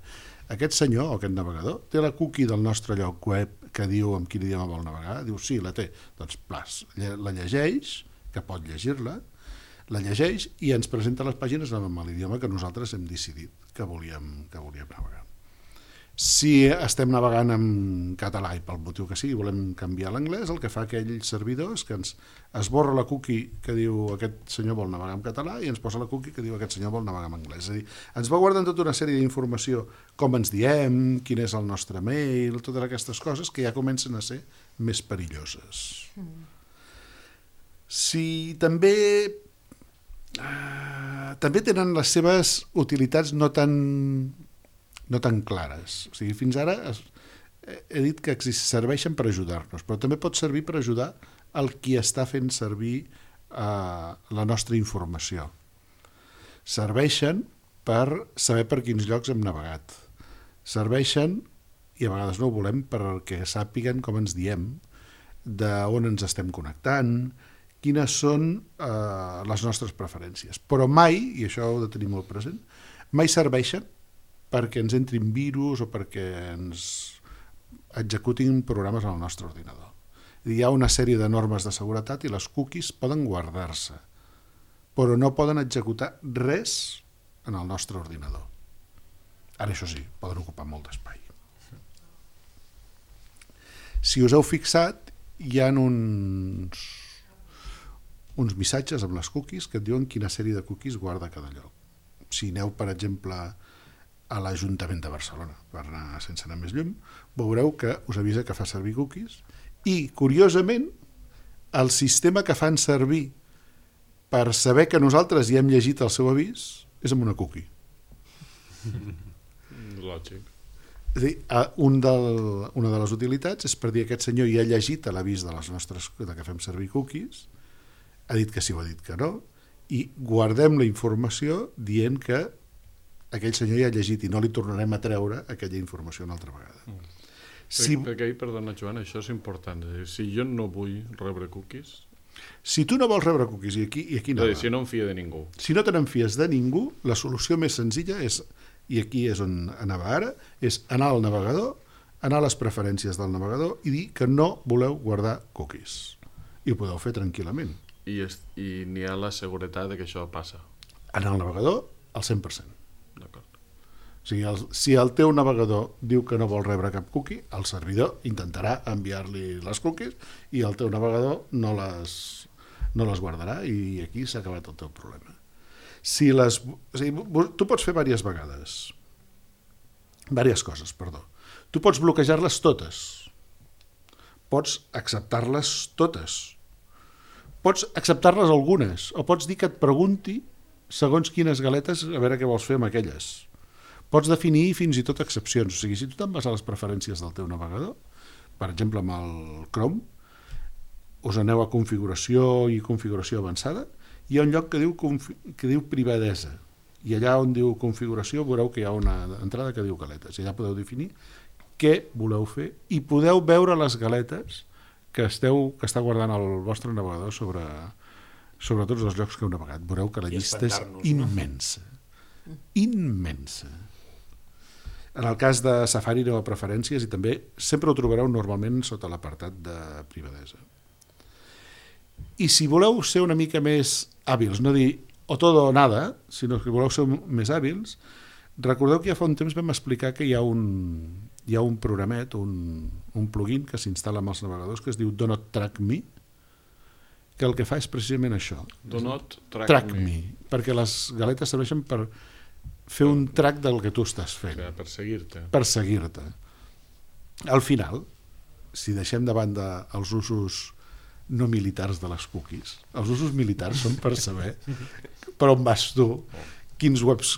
aquest senyor o aquest navegador té la cookie del nostre lloc web que diu amb quin idioma vol navegar? Diu sí, la té. Doncs la llegeix, que pot llegir-la, la llegeix i ens presenta les pàgines amb l'idioma que nosaltres hem decidit que volíem navegar. Si estem navegant en català i pel motiu que sigui volem canviar l'anglès, el que fa aquell servidor és que ens esborra la cookie que diu aquest senyor vol navegar en català i ens posa la cookie que diu aquest senyor vol navegar en anglès. És a dir, ens va guardant tota una sèrie d'informació, com ens diem, quin és el nostre mail, totes aquestes coses que ja comencen a ser més perilloses. Si també tenen les seves utilitats no tan clares. O sigui, fins ara he dit que serveixen per ajudar-nos, però també pot servir per ajudar el qui està fent servir la nostra informació. Serveixen per saber per quins llocs hem navegat. Serveixen, i a vegades no ho volem, perquè sàpiguen com ens diem, d'on ens estem connectant, quines són les nostres preferències. Però mai, i això ho he de tenir molt present, mai serveixen perquè ens entrin virus o perquè ens executin programes al nostre ordinador. Hi ha una sèrie de normes de seguretat i les cookies poden guardar-se, però no poden executar res en el nostre ordinador. Ara, això sí, poden ocupar molt d'espai. Si us heu fixat, hi ha uns missatges amb les cookies que et diuen quina sèrie de cookies guarda cada lloc. Si aneu, per exemple, a l'Ajuntament de Barcelona, per anar sense anar més lluny, veureu que us avisa que fa servir cookies i, curiosament, el sistema que fan servir per saber que nosaltres ja hem llegit el seu avís és amb una cookie. Lògic. És a dir, una de les utilitats és per dir aquest senyor ja ha llegit l'avís de que fem servir cookies, ha dit que sí o ha dit que no, i guardem la informació dient que aquell senyor ja ha llegit i no li tornarem a treure aquella informació una altra vegada. Perquè, perdona Joan, això és important. Si jo no vull rebre cookies... Si tu no vols rebre cookies, i aquí no... Si no em fia de ningú. Si no te n'enfies de ningú, la solució més senzilla és, i aquí és on anava ara, és anar al navegador, anar a les preferències del navegador i dir que no voleu guardar cookies. I ho podeu fer tranquil·lament. I n'hi ha la seguretat de que això passa. Anar al navegador, al 100%. O sigui, si el teu navegador diu que no vol rebre cap cookie, el servidor intentarà enviar-li les cookies i el teu navegador no les guardarà i aquí s'ha acabat el teu problema. Tu pots fer diverses coses. Tu pots bloquejar-les totes, pots acceptar-les totes, pots acceptar-les algunes, o pots dir que et pregunti segons quines galetes a veure què vols fer amb aquelles. Pots definir fins i tot excepcions. O sigui, si tu te'n vas a les preferències del teu navegador, per exemple amb el Chrome, us aneu a configuració i configuració avançada, hi ha un lloc que diu privadesa, i allà on diu configuració veureu que hi ha una entrada que diu galetes, i allà podeu definir què voleu fer i podeu veure les galetes que està guardant el vostre navegador sobre tots els llocs que heu navegat. Veureu que la llista és immensa. Immensa. En el cas de Safari aneu a preferències i també sempre ho trobareu normalment sota l'apartat de privadesa. I si voleu ser una mica més hàbils, no dir o todo o nada, sinó que voleu ser més hàbils, recordeu que ja fa un temps vam explicar que hi ha un programet, un plugin que s'instal·la amb els navegadors que es diu Do Not Track Me, que el que fa és precisament això. Do Not Track Me. Perquè les galetes serveixen per fer un track del que tu estàs fent. Perseguir-te. Al final, si deixem de banda els usos no militars de les cookies, els usos militars són per saber per on vas tu, quins webs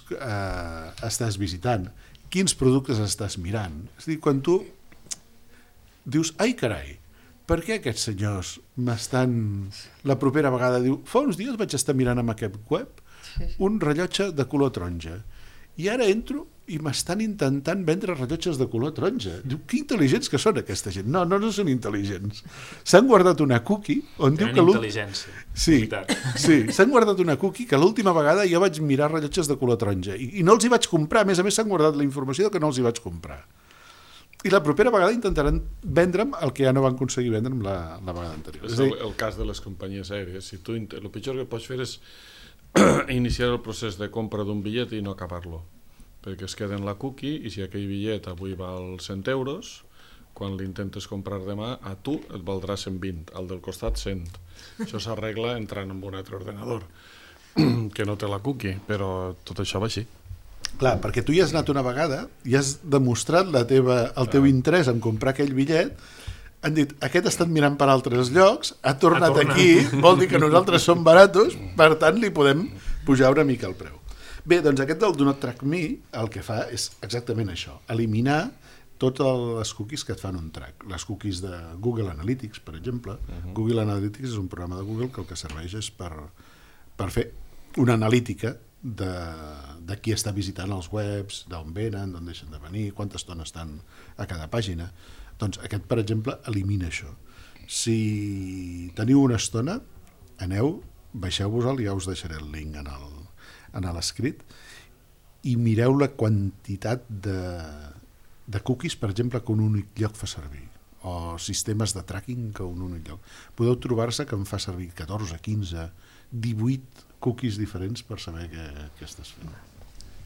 estàs visitant, quins productes estàs mirant. És a dir, quan tu dius, ai carai, per què aquests senyors m'estan... La propera vegada diu, fa uns dies vaig estar mirant amb aquest web un rellotge de color taronja i ara entro i m'estan intentant vendre rellotges de color taronja. Diu, que intel·ligents que són aquesta gent. No són intel·ligents. S'han guardat una cookie on diu que... Tenen intel·ligència. Sí, s'han guardat una cookie que l'última vegada jo vaig mirar rellotges de color taronja i no els hi vaig comprar. A més s'han guardat la informació que no els hi vaig comprar. I la propera vegada intentaran vendre'm el que ja no van aconseguir vendre'm la vegada anterior. És el cas de les companyies aèries. El pitjor que pots fer és iniciar el procés de compra d'un bitllet i no acabar-lo, perquè es queda en la cookie i si aquell bitllet avui val 100 euros, quan l'intentes comprar demà, a tu et valdrà 120, al del costat 100. Això s'arregla entrant en un altre ordenador que no té la cookie, però tot això va així. Clar, perquè tu hi has anat una vegada i has demostrat el teu interès en comprar aquell bitllet, han dit, aquest ha estat mirant per altres llocs, ha tornat aquí, vol dir que nosaltres som baratos, per tant li podem pujar una mica el preu. Bé, doncs aquest del Do Not Track Me el que fa és exactament això, eliminar totes les cookies que et fan un track. Les cookies de Google Analytics, per exemple. Google Analytics és un programa de Google que el que serveix és per fer una analítica de qui està visitant els webs, d'on venen, d'on deixen de venir, quanta estona estan a cada pàgina. Doncs aquest, per exemple, elimina això. Si teniu una estona, aneu, baixeu-vos-el, ja us deixaré el link en l'escrit, i mireu la quantitat de cookies, per exemple, que un únic lloc fa servir, o sistemes de tracking que un únic lloc. Podeu trobar-se que en fa servir 14, 15, 18 cookies diferents per saber què estàs fent.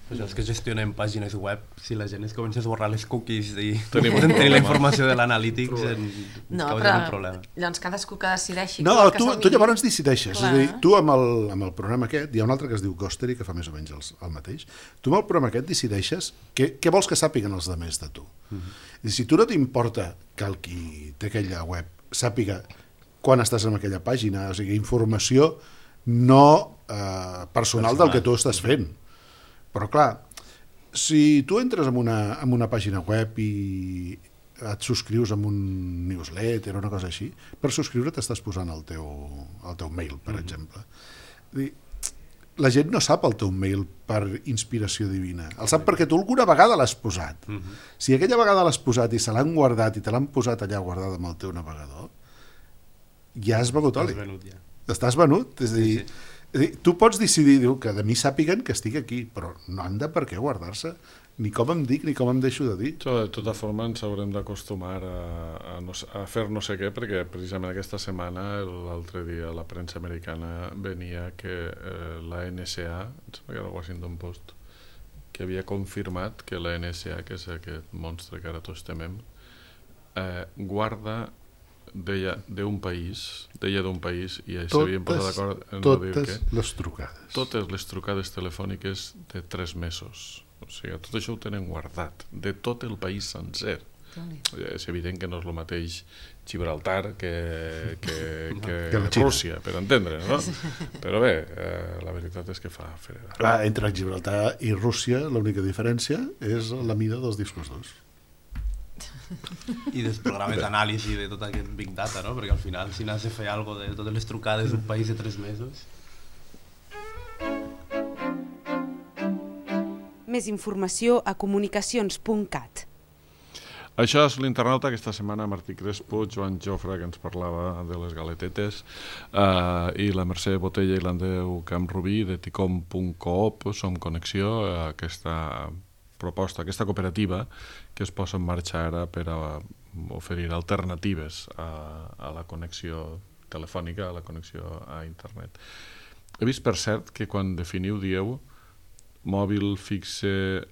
Pues els que gestionem pàgines web, si la gent es comença a esborrar les cookies i poden tenir la informació de l'analítics, causem un problema. Llavors cadascú que decideixi... No, tu llavors decideixes. És a dir, tu amb el programa aquest, hi ha un altre que es diu Ghostery, que fa més o menys el mateix, tu amb el programa aquest decideixes què vols que sàpiguen els demés de tu. I si tu no t'importa que el qui té aquella web sàpiga quan estàs en aquella pàgina, o sigui, informació no personal del que tu estàs fent. Però clar, si tu entres en una pàgina web i et subscrius amb un newsletter o una cosa així, per subscriure t'estàs posant el teu mail, per exemple. La gent no sap el teu mail per inspiració divina, el sap perquè tu alguna vegada l'has posat. Si aquella vegada l'has posat i se l'han guardat i te l'han posat allà guardada amb el teu navegador, ja has begut oli. Estàs venut, és a dir... Tu pots decidir que de mi sàpiguen que estic aquí, però no han de per què guardar-se, ni com em dic ni com em deixo de dir. De tota forma ens haurem d'acostumar a fer no sé què, perquè precisament aquesta setmana, l'altre dia, la premsa americana venia que la NSA, em sembla que era el Washington Post, que havia confirmat que la NSA, que és aquest monstre que ara tots temem, guarda deia d'un país i s'havien posat d'acord en no dir que totes les trucades telefòniques de 3 mesos, o sigui, tot això ho tenen guardat de tot el país sencer. És evident que no és el mateix Gibraltar que Rússia, per entendre, no? Però bé, la veritat és que fa fregar. Entre Gibraltar i Rússia l'única diferència és la mida dels discos durs i dels programes d'anàlisi de tot aquest Big Data, no? Perquè al final si n'has de fer alguna cosa de totes les trucades d'un país de 3 mesos... Més informació a comunicacions.cat. Això és l'internauta. Aquesta setmana Martí Crespo, Joan Jofre, que ens parlava de les galetetes, i la Mercè Botella i l'Andreu Camprubí de ticom.coop, Som Connexió, aquesta proposta, aquesta cooperativa que es posa en marxa ara per a oferir alternatives a la connexió telefònica, a la connexió a internet. He vist, per cert, que quan definiu dieu mòbil fixe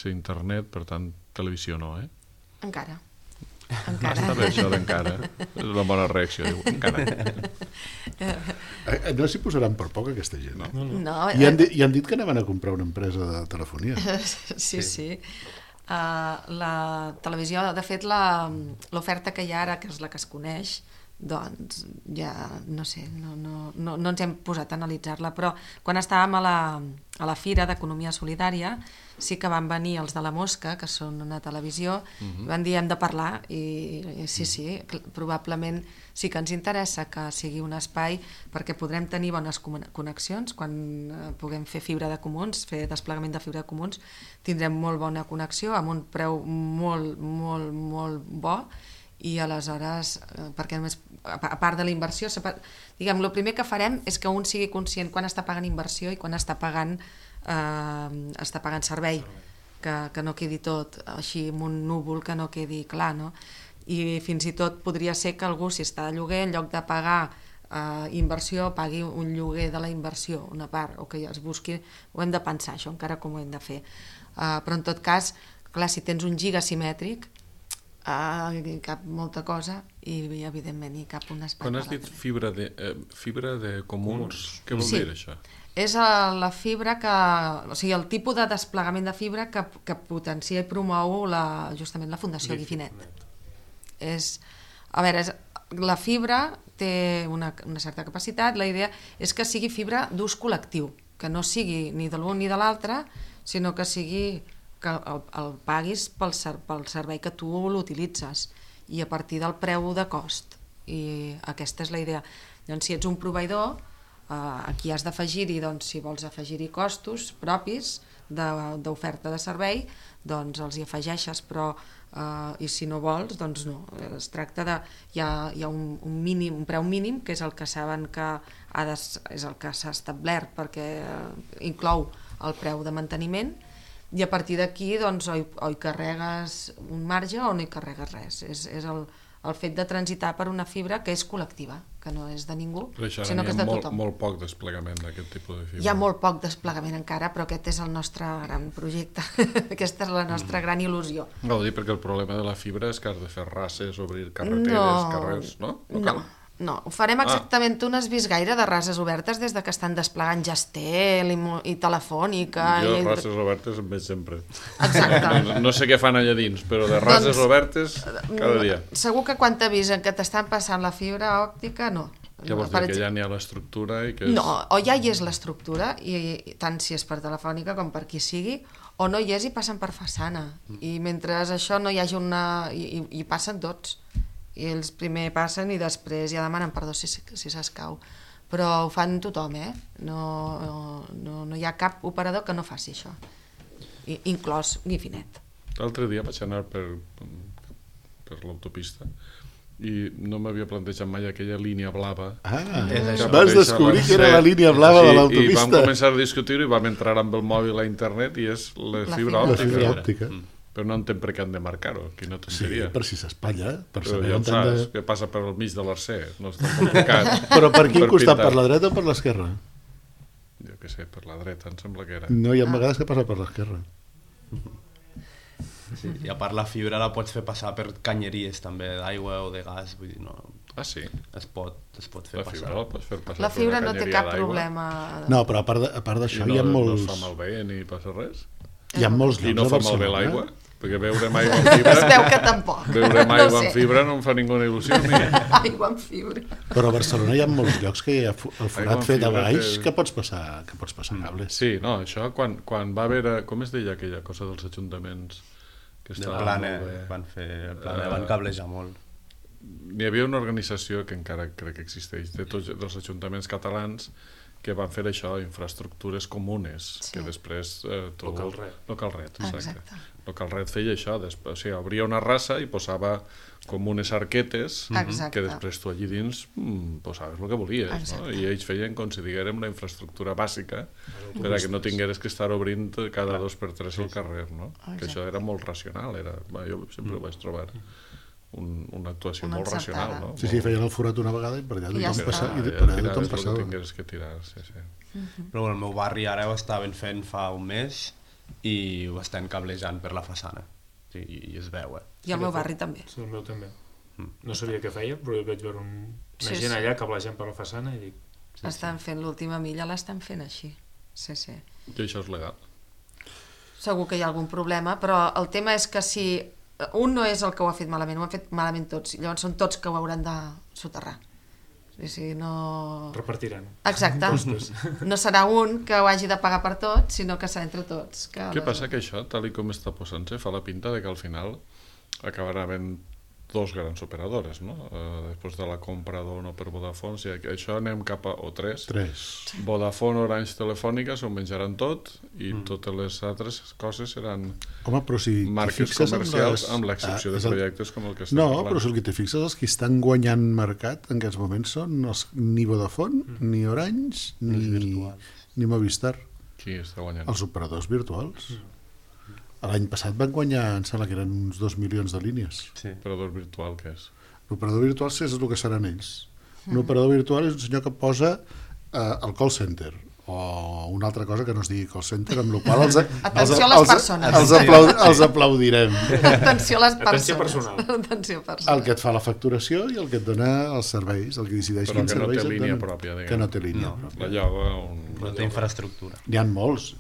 internet, per tant, televisió no, Encara. Està bé això d'encara. És una bona reacció, diu, encara. No s'hi posaran per poc aquesta gent. No. I han dit que anaven a comprar una empresa de telefonia. Sí. La televisió, de fet, l'oferta que hi ha ara, que és la que es coneix, doncs ja no sé, no ens hem posat a analitzar-la, però quan estàvem a la Fira d'Economia Solidària sí que van venir els de La Mosca, que són una televisió, i van dir hem de parlar, i sí, probablement sí que ens interessa que sigui un espai perquè podrem tenir bones connexions quan puguem fer fibra de comuns, fer desplegament de fibra de comuns, tindrem molt bona connexió amb un preu molt, molt, molt bo, i aleshores, perquè només, a part de la inversió, diguem, el primer que farem és que un sigui conscient quan està pagant inversió i quan està pagant servei, que no quedi tot així amb un núvol, que no quedi clar, no? I fins i tot podria ser que algú, si està de lloguer, en lloc de pagar inversió, pagui un lloguer de la inversió, una part, o que es busqui, ho hem de pensar, això encara com ho hem de fer. Però en tot cas, clar, si tens un giga simètric, hi cap molta cosa i evidentment hi cap un espai. Quan has dit fibra de comuns, què vol dir això? És la fibra o sigui, el tipus de desplegament de fibra que potencia i promou justament la Fundació Guifinet. A veure, la fibra té una certa capacitat, la idea és que sigui fibra d'ús col·lectiu, que no sigui ni de l'un ni de l'altre, sinó que sigui que el paguis pel servei que tu l'utilitzes i a partir del preu de cost, i aquesta és la idea. Doncs si ets un proveïdor, aquí has d'afegir-hi, doncs si vols afegir-hi costos propis d'oferta de servei, doncs els hi afegeixes, però i si no vols, doncs no. Es tracta de... Hi ha un preu mínim, que és el que saben que és el que s'ha establert perquè inclou el preu de manteniment, i a partir d'aquí doncs, o hi carregues un marge o no hi carregues res. És el fet de transitar per una fibra que és col·lectiva, que no és de ningú, sinó que és de tothom. Molt poc desplegament d'aquest tipus de fibra. Hi ha molt poc desplegament encara, però aquest és el nostre gran projecte, aquesta és la nostra gran il·lusió. No, ho dic perquè el problema de la fibra és que has de fer rases, obrir carreteres, carrers, no? No, ho farem exactament. Tu no has vist gaire de rases obertes des que estan desplegant Gestel i Telefònica. Jo rases obertes en veig sempre. Exacte. No sé què fan allà dins, però de rases obertes cada dia. Segur que quan t'avisen que t'estan passant la fibra òptica, no. Ja vols dir que ja n'hi ha l'estructura i que és... No, o ja hi és l'estructura, i tant si és per Telefònica com per qui sigui, o no hi és i passen per façana. I mentre això no hi hagi una... i passen tots. I ells primer passen i després ja demanen perdó si s'escau. Però ho fan tothom, no hi ha cap operador que no faci això, inclòs Guifinet. L'altre dia vaig anar per l'autopista i no m'havia plantejat mai aquella línia blava. Vas descobrir que era la línia blava de l'autopista. I vam començar a discutir-ho i vam entrar amb el mòbil a internet i és la fibra òptica. Però no entenc per què han de marcar-ho, aquí no t'entenderia. Sí, per si s'espatlla. Però ja ho saps, que passa per al mig de l'Arcer, no és tan complicat. Però per quin costat, per la dreta o per l'esquerra? Jo què sé, per la dreta, em sembla que era. No, hi ha vegades que passa per l'esquerra. Sí, i a part la fibra la pots fer passar per canyeries també, d'aigua o de gas, vull dir, no... Ah, sí? Es pot fer passar. La fibra la pots fer passar la fibra no té cap problema. No, però a part d'això hi ha molts... I no fa malbé ni passa res? Hi ha molts llocs a Barcelona. I no fa malbé l'aigua? Perquè beure aigua amb fibra... Es veu que tampoc. Beure aigua amb fibra no em fa ninguna il·lusió. Aigua amb fibra. Però a Barcelona hi ha molts llocs que hi ha el forat fet a baix que pots passar cables. Sí, no, això quan va haver... Com es deia aquella cosa dels ajuntaments? El Plane, van cablejar molt. Hi havia una organització que encara crec que existeix, de tots els ajuntaments catalans, que van fer això, infraestructures comunes, que després... Localret, exacte. Localret feia això, o sigui, obria una rasa i posava com unes arquetes que després tu allí dins posaves el que volies, no? I ells feien com si diguérem la infraestructura bàsica per a que no tingueres que estar obrint cada 2 per 3 el carrer, no? Que això era molt racional, jo sempre ho vaig trobar una actuació molt racional, no? Sí, feien el forat una vegada i per allà tothom passava. Tingués que tirar, sí. Però el meu barri ara ho estaven fent fa un mes i ho estan cablejant per la façana. I es veu, I el meu barri també. Sí, el meu també. No sabia què feia, però vaig veure una gent allà cablejant per la façana i dic... Estan fent l'última milla, l'estan fent així. Sí. I això és legal? Segur que hi ha algun problema, però el tema és que si un no és el que ho ha fet malament, ho han fet malament tots, llavors són tots que ho hauran de soterrar. Si no... Repartiran. Exacte. No serà un que ho hagi de pagar per tot, sinó que serà entre tots. Què passa? Que això, tal com està posant-se, fa la pinta de que al final acabarà havent dos grans operadores, no? Després de la compra d'Ono per Vodafone, si això anem cap a... o tres. Vodafone, Orange, Telefònica s'ho menjaran tot i totes les altres coses seran marques comercials amb l'excepció de projectes com el que estem parlant. No, però si el que t'hi fixes, els que estan guanyant mercat en aquests moments són ni Vodafone, ni Orange, ni Movistar. Qui està guanyant? Els operadors virtuals. L'any passat van guanyar, em sembla que eren uns 2 milions de línies. Sí. Operador virtual, què és? L'operador virtual és el que seran ells. Un operador virtual és un senyor que posa el call center, o una altra cosa que no es digui call center, amb la qual atenció a les persones. Els aplaudirem. Atenció a les persones. Atenció personal. El que et fa la facturació i el que et dona els serveis, el que decideix quins serveis et donen. Però que no té línia pròpia, diguem. Que no té línia pròpia. La lloga... No té infraestructura. N'hi ha molts.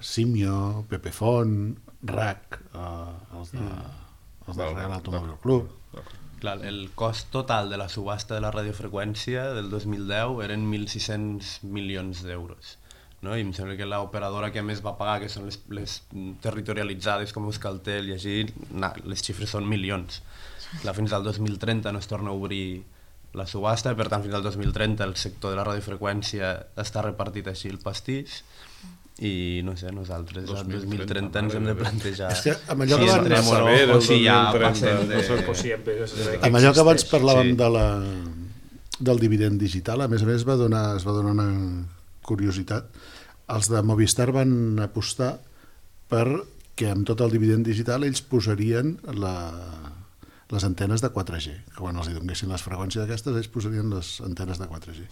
Simio, Pepefon, RAC, els de Real Automòbil Club. Clar, el cost total de la subhasta de la radiofreqüència del 2010 eren 1.600 milions d'euros. No? I em sembla que l'operadora que més va pagar, que són les territorialitzades com Euskaltel i així, les xifres són milions. Clar, fins al 2030 no es torna a obrir la subhasta, per tant fins al 2030 el sector de la radiofreqüència està repartit així el pastís, i no sé, nosaltres al 2030 ens hem de plantejar si entrem o si ja passem de... Amb allò que abans parlàvem del dividend digital, a més es va donar una curiositat. Els de Movistar van apostar perquè amb tot el dividend digital ells posarien les antenes de 4G, que quan els donessin les freqüències aquestes ells posarien les antenes de 4G.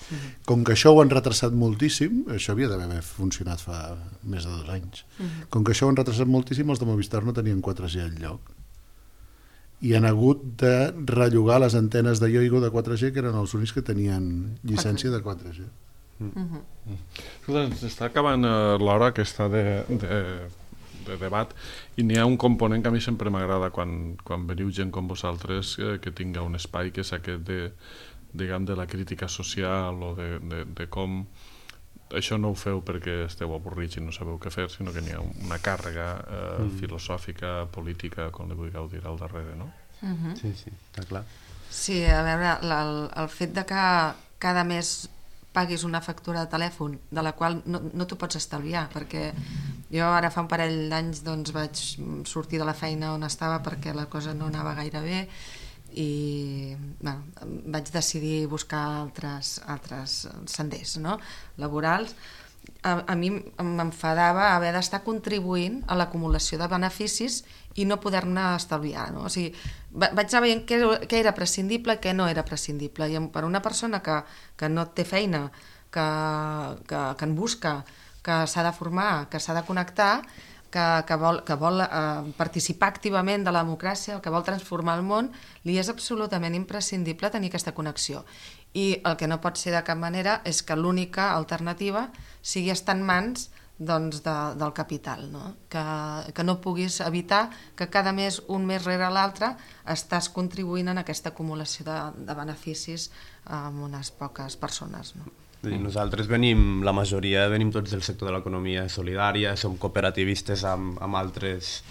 Com que això ho han retrasat moltíssim, això havia d'haver funcionat fa més de 2 anys, com que això ho han retrasat moltíssim, els de Movistar no tenien 4G al lloc i han hagut de rellogar les antenes de Yoigo de 4G, que eren els únics que tenien llicència de 4G. Està acabant l'hora aquesta de debat, i n'hi ha un component que a mi sempre m'agrada quan veniu gent com vosaltres que tinga un espai, que és aquest de la crítica social o de com això no ho feu perquè esteu avorrits i no sabeu què fer, sinó que n'hi ha una càrrega filosòfica, política, com li vulgueu dir, al darrere, no? Sí, està clar. Sí, a veure, el fet de que cada mes paguis una factura de telèfon de la qual no t'ho pots estalviar, perquè jo ara fa un parell d'anys doncs vaig sortir de la feina on estava perquè la cosa no anava gaire bé i vaig decidir buscar altres senders, no? Laborals. A mi m'enfadava haver d'estar contribuint a l'acumulació de beneficis i no poder-ne estalviar, no? O sigui, vaig anar veient què era prescindible i què no era prescindible, i per una persona que no té feina, que en busca, que s'ha de formar, que s'ha de connectar, que vol participar activament de la democràcia, que vol transformar el món, li és absolutament imprescindible tenir aquesta connexió. I el que no pot ser de cap manera és que l'única alternativa sigui estar en mans del capital, no? Que no puguis evitar que cada mes, un mes rere l'altre, estàs contribuint en aquesta acumulació de beneficis amb unes poques persones, no? Nosaltres la majoria venim tots del sector de l'economia solidària, som cooperativistes amb altres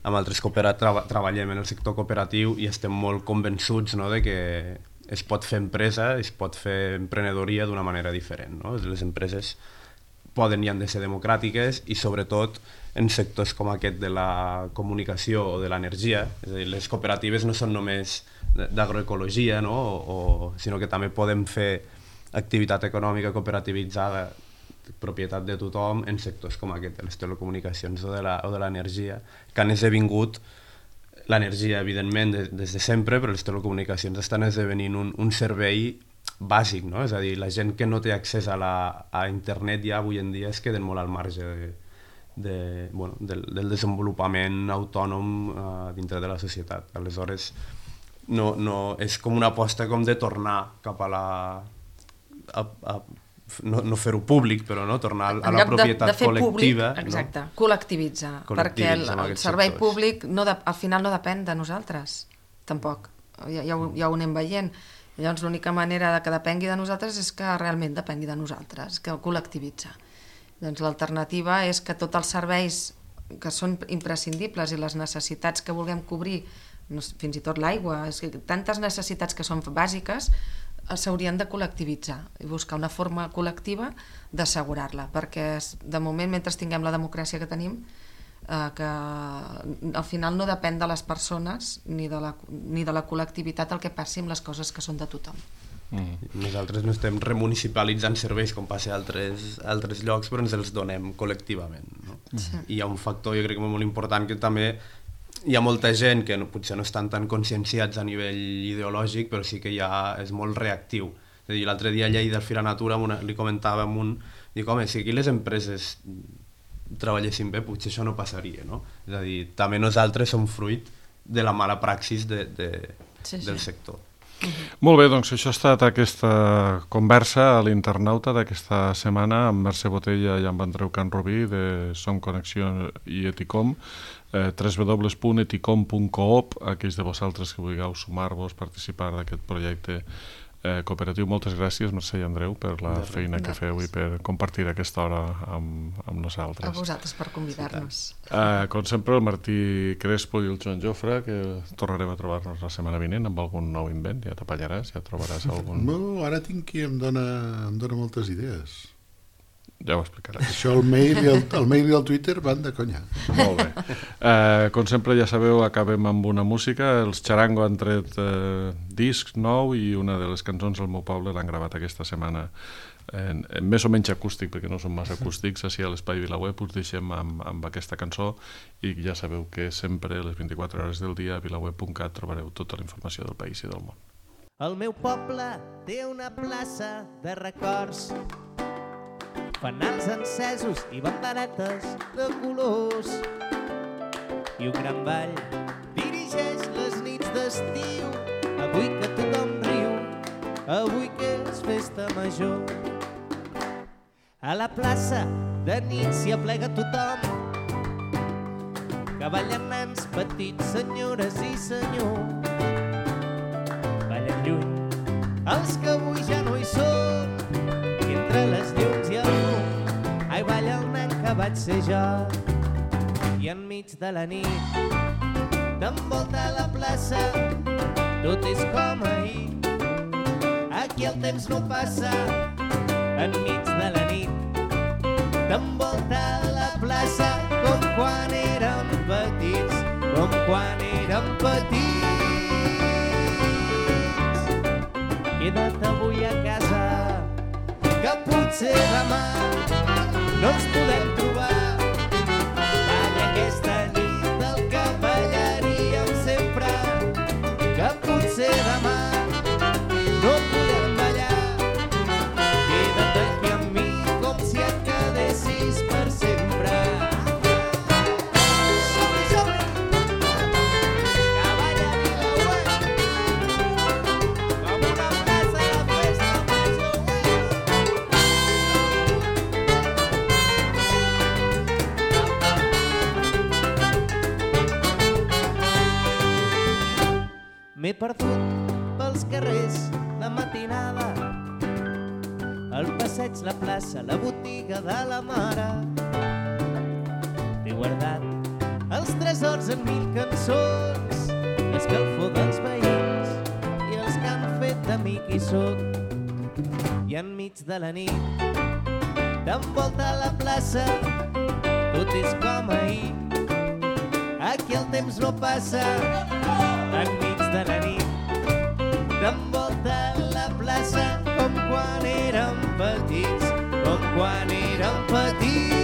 treballem en el sector cooperatiu i estem molt convençuts, no, de que es pot fer empresa, es pot fer emprenedoria d'una manera diferent, no? Les empreses poden i han de ser democràtiques i sobretot en sectors com aquest de la comunicació o de l'energia, és a dir, les cooperatives no són només d'agroecologia, no? Sinó que també podem fer activitat econòmica cooperativitzada, propietat de tothom, en sectors com aquest, de les telecomunicacions o de l'energia, que han esdevingut l'energia, evidentment, des de sempre, però les telecomunicacions estan esdevenint un servei bàsic, no? És a dir, la gent que no té accés a internet ja avui en dia es queden molt al marge del desenvolupament autònom dintre de la societat. Aleshores, no, és com una aposta com de tornar cap a no fer-ho públic, però tornar a la propietat col·lectiva. Exacte, col·lectivitzar, perquè el servei públic al final no depèn de nosaltres, tampoc, ja ho anem veient. Llavors l'única manera que depengui de nosaltres és que realment depengui de nosaltres, que col·lectivitza. Doncs l'alternativa és que tots els serveis que són imprescindibles i les necessitats que vulguem cobrir, fins i tot l'aigua, tantes necessitats que són bàsiques, s'haurien de col·lectivitzar i buscar una forma col·lectiva d'assegurar-la, perquè de moment, mentre tinguem la democràcia que tenim, que al final no depèn de les persones ni de la col·lectivitat el que passi amb les coses que són de tothom. Nosaltres no estem remunicipalitzant serveis com passa a altres llocs, però ens els donem col·lectivament. I hi ha un factor, jo crec, molt important, que també hi ha molta gent que potser no estan tan conscienciats a nivell ideològic, però sí que ja és molt reactiu. És a dir, l'altre dia a Lleida, al Fira Natura, li comentava amb un... Dic, home, si aquí les empreses treballessin bé, potser això no passaria, no? És a dir, també nosaltres som fruit de la mala praxis del sector. Molt bé, doncs això ha estat aquesta conversa a l'internauta d'aquesta setmana amb Mercè Botella i amb Andreu Canrobí de Som Connexió i Eticom, www.eticom.coop, aquells de vosaltres que vulgueu sumar-vos, participar d'aquest projecte cooperatiu. Moltes gràcies, Mercè i Andreu, per la feina que feu i per compartir aquesta hora amb nosaltres. A vosaltres per convidar-nos. Com sempre, el Martí Crespo i el Joan Jofre, que tornarem a trobar-nos la setmana vinent amb algun nou invent. Ja t'apallaràs, ja trobaràs algun... No, ara tinc qui em dona moltes idees. Ja ho explicaràs. Això, el mail i el Twitter van de conya. Molt bé. Com sempre, ja sabeu, acabem amb una música. Els Charango han tret disc nou i una de les cançons del meu poble l'han gravat aquesta setmana en més o menys acústic, perquè no són massa acústics. Així a l'Espai VilaWeb us deixem amb aquesta cançó i ja sabeu que sempre a les 24 hores del dia a vilaweb.cat trobareu tota la informació del país i del món. El meu poble té una plaça de records, fanals encesos i banderetes de colors, i un gran ball dirigeix les nits d'estiu. Avui que tothom riu, avui que és festa major, a la plaça de nit s'hi aplega tothom, que ballen nens petits, senyores i senyors. Ballen lluny els que avui ja no hi són, i entre les llums i el fum, ai, balla el nen que vaig ser jo. I enmig de la nit t'envolta la plaça, tot és com ahir, aquí el temps no passa. Enmig de la nit t'envolta la plaça, com quan érem petits, com quan érem petits. Queda't avui a casa, que potser demà no ens podem trobar. Balla aquesta nit el que ballaríem sempre, que potser demà no podem ballar. Queda't aquí amb mi com si et quedessis per sempre. M'he perdut pels carrers la matinada, el passeig, la plaça, la botiga de la mare. T'he guardat els tresors en 1000 cançons, l'escalfor dels veïns i els que han fet de mi qui soc. I enmig de la nit t'envolta la plaça, tot és com ahir, aquí el temps no passa. Enmig de la nit t'envolta la plaça, com quan érem petits, com quan érem petits.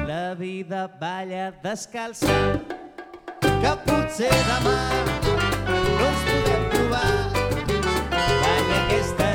La vida balla descalça, que potser demà no ens podem trobar. Balla aquesta